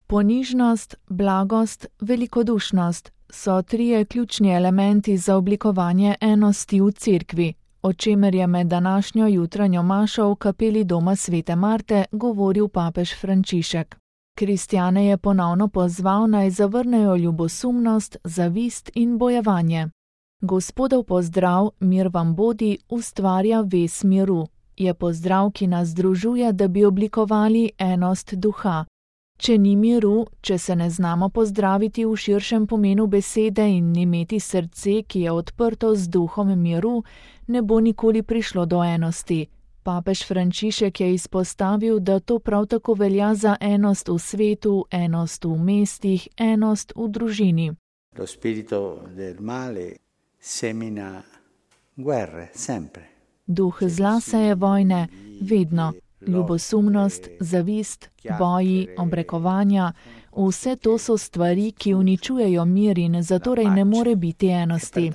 Ponižnost, blagost, velikodušnost so trije ključni elementi za oblikovanje enosti v cerkvi, o čemer je med današnjo jutranjo mašo v kapeli doma Svete Marte govoril papež Frančišek. Kristjane je ponovno pozval, naj zavrnejo ljubosumnost, zavist in bojevanje. Gospodov pozdrav, mir vam bodi, ustvarja vez miru. Je pozdrav, ki nas združuje, da bi oblikovali enost duha. Če ni miru, če se ne znamo pozdraviti v širšem pomenu besede in imeti srce, ki je odprto z duhom miru, ne bo nikoli prišlo do enosti. Papež Frančišek je izpostavil, da to prav tako velja za enost v svetu, enost v mestih, enost v družini. Lo spirito del male semina guerre, sempre. Duh zla seje vojne, vedno. Ljubosumnost, zavist, boji, obrekovanja, vse to so stvari, ki uničujejo mir in zatorej ne more biti enosti.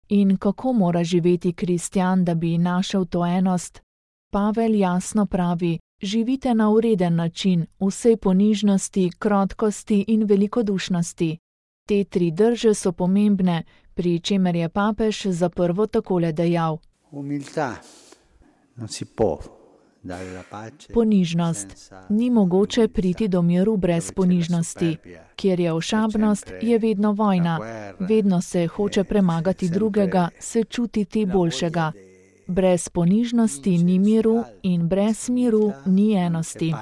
In kako mora živeti kristjan, da bi našel to enost? Pavel jasno pravi, živite na ureden način, vsej ponižnosti, krotkosti in velikodušnosti. Te tri drže so pomembne, pri čemer je papež za prvo takole dejal. Ponižnost. Ni mogoče priti do miru brez ponižnosti. Kjer je ošabnost, je vedno vojna. Vedno se hoče premagati drugega, se čutiti boljšega. Brez ponižnosti ni miru in brez miru ni enosti.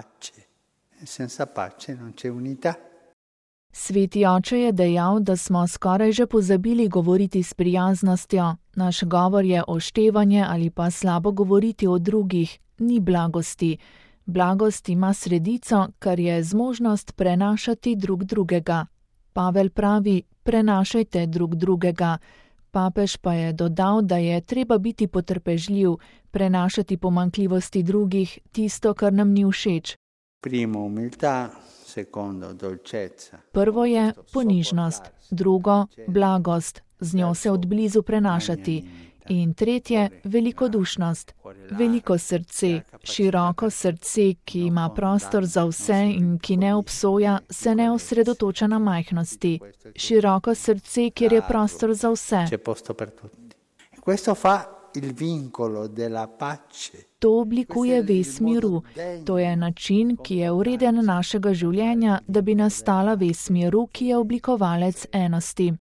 Sveti oče je dejal, da smo skoraj že pozabili govoriti s prijaznostjo. Naš govor je oštevanje ali pa slabo govoriti o drugih, ni blagosti. Blagost ima sredico, kar je zmožnost prenašati drug drugega. Pavel pravi, prenašajte drug drugega. Papež pa je dodal, da je treba biti potrpežljiv, prenašati pomanjkljivosti drugih, tisto, kar nam ni všeč. Prvo je ponižnost, drugo blagost, z njo se odblizu prenašati. In tretje, velikodušnost, veliko srce, široko srce, ki ima prostor za vse in ki ne obsoja, se ne osredotoča na majhnosti. Široko srce, kjer je prostor za vse. To oblikuje vez miru. To je način, ki je ureden našega življenja, da bi nastala vez miru, ki je oblikovalec enosti.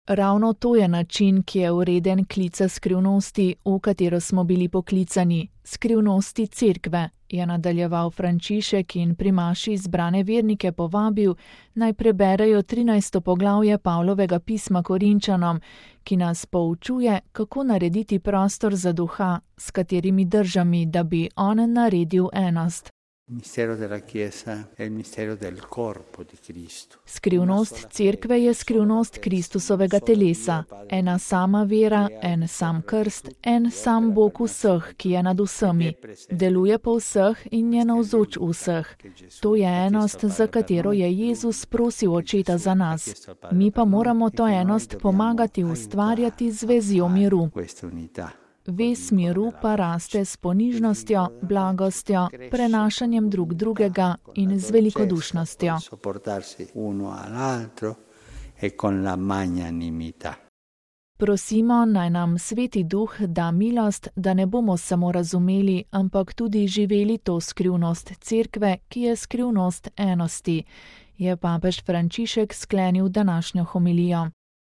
Ravno to je način, ki je ureden klica skrivnosti, v katero smo bili poklicani, skrivnosti cerkve, je nadaljeval Frančišek in pri maši zbrane vernike povabil, naj preberejo 13. poglavje Pavlovega pisma Korinčanom, ki nas poučuje, kako narediti prostor za duha, s katerimi držami, da bi on naredil enost. Skrivnost cerkve je skrivnost Kristusovega telesa, ena sama vera, en sam krst, en sam Bog vseh, ki je nad vsemi, deluje po vseh in je navzoč vseh. To je enost, za katero je Jezus prosil Očeta za nas. Mi pa moramo to enost pomagati ustvarjati z vezjo miru. Vez miru pa raste s ponižnostjo, blagostjo, prenašanjem drug drugega in z velikodušnostjo. Prosimo, naj nam Sveti Duh da milost, da ne bomo samo razumeli, ampak tudi živeli to skrivnost cerkve, ki je skrivnost enosti, je papež Frančišek sklenil današnjo homilijo.